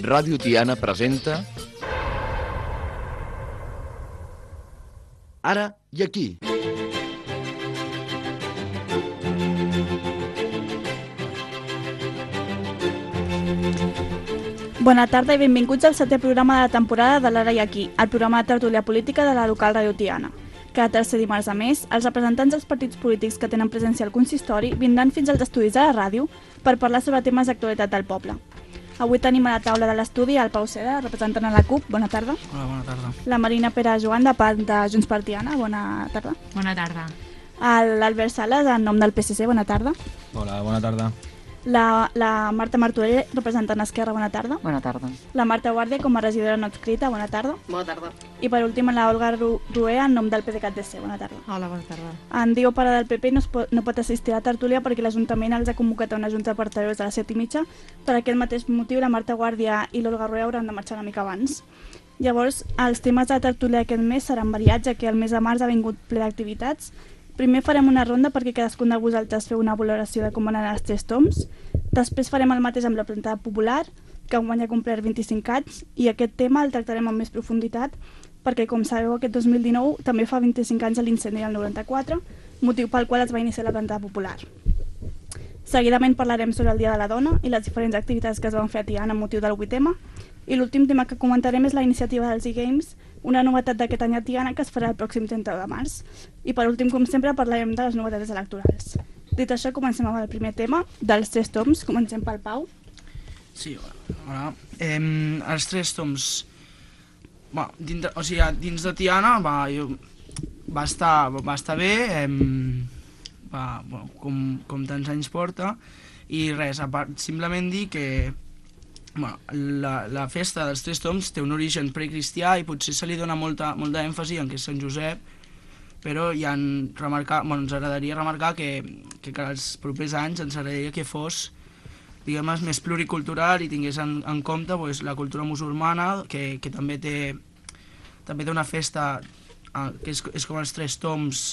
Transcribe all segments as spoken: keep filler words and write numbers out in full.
Ràdio Tiana presenta Ara i aquí. Bona tarda i benvinguts al setè programa de la temporada de l'Ara i aquí, el programa de tertúlia política de la local Ràdio Tiana. Cada tercer dimarts a més, els representants dels partits polítics que tenen presència al consistori vindran fins als estudis de la ràdio per parlar sobre temes d'actualitat del poble. Avui tenim a la taula de l'estudi el Pau Seda, representant a la CUP. Bona tarda. Hola, bona tarda. La Marina Pere Joan, de part de Junts per Tiana. Bona tarda. Bona tarda. L'Albert Sales, en nom del P S C. Bona tarda. Hola, bona tarda. La, la Marta Martorell, representant Esquerra. Bona tarda. Bona tarda. La Marta Guàrdia, com a regidora no adscrita. Bona tarda. Bona tarda. I per últim, la Olga Ru Rué, en nom del P D C A T C. Bona tarda. Hola, bona tarda. En Diego Pare del P P no, pot, no pot assistir a la tertúlia perquè l'Ajuntament els ha convocat a una junta de portaveus a les set i mitja. Per aquest mateix motiu, la Marta Guàrdia i l'Olga Rué hauran de marxar una mica abans. Llavors, els temes de la tertúlia d'aquest mes seran variats, ja que el mes de març ha vingut ple d'activitats. Primer farem una ronda perquè cadascun de vosaltres feu una valoració de com van anar els tres toms. Després farem el mateix amb la plantada popular, que enguany ha complert vint-i-cinc anys, i aquest tema el tractarem amb més profunditat, perquè, com sabeu, aquest dos mil dinou també fa vint-i-cinc anys de l'incendi del noranta-quatre, motiu pel qual es va iniciar la plantada popular. Seguidament parlarem sobre el Dia de la Dona i les diferents activitats que es van fer a Tiana amb motiu del vuit ema, i l'últim tema que comentarem és la iniciativa dels e-Games, una novetat d'aquest any a Tiana que es farà el pròxim trenta de març. I per últim, com sempre, parlarem de les novetats electorals. Dit això, comencem amb el primer tema, dels tres toms. Comencem pel Pau. Sí, hola. Eh, els tres toms... Va, dins de, o sigui, dins de Tiana va, jo, va, estar, va estar bé, eh, va, bueno, com, com tants anys porta, i res, a part, simplement dir que bueno, la, la festa dels tres toms té un origen precristià i potser se li dona molta, molta èmfasi en que és Sant Josep, però ja en remarcar, bueno, ens agradaria remarcar que, que, que els propers anys ens agradaria que fos, diguem, més pluricultural i tingués en, en compte pues, la cultura musulmana, que, que també té també té una festa eh, que és, és com els tres toms,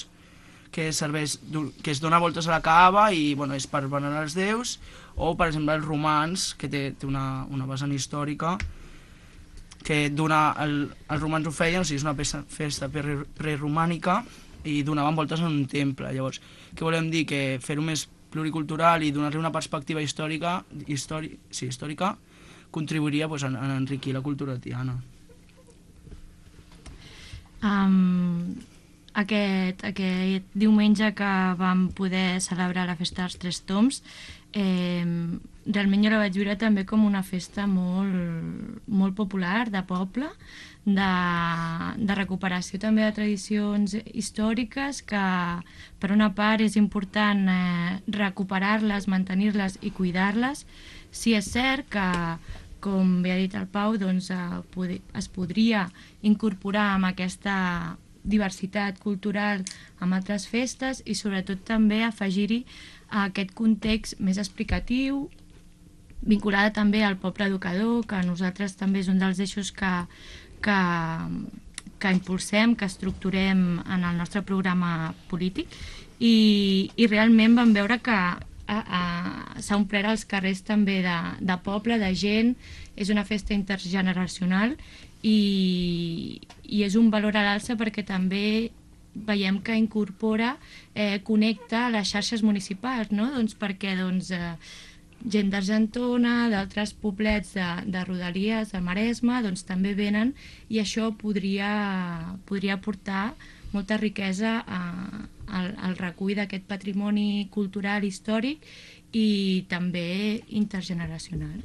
que serveix, que es dona voltes a la Kaaba i bueno, és per venerar els déus, o per exemple els romans, que té, té una, una vessant històrica, que dona, el, els romans ho feien, o sigui, és una festa, festa preromànica i donaven voltes en un temple. Llavors, què volem dir? Que fer-ho més pluricultural i donar-li una perspectiva històrica, històric, sí, històrica contribuiria pues, a, a enriquir la cultura tiana. Um, aquest, aquest diumenge que vam poder celebrar la festa dels tres toms, eh, realment jo la vaig viure també com una festa molt, molt popular, de poble, de, de recuperació també de tradicions històriques, que per una part és important eh, recuperar-les, mantenir-les i cuidar-les. Sí, és cert que, com bé ha dit el Pau, doncs, eh, es podria incorporar amb aquesta diversitat cultural amb altres festes i sobretot també afegir-hi aquest context més explicatiu, vinculada també al poble educador, que nosaltres també és un dels eixos que, que, que impulsem, que estructurem en el nostre programa polític, i, i realment vam veure que s'ha omplert els carrers també de, de poble, de gent, és una festa intergeneracional i, i és un valor a l'alça perquè també veiem que incorpora, eh, connecta les xarxes municipals, no? Doncs perquè doncs, eh, gent d'Argentona, d'altres poblets de, de Rodalies, de Maresme, doncs també venen i això podria, podria aportar molta riquesa a, al, al recull d'aquest patrimoni cultural històric i també intergeneracional.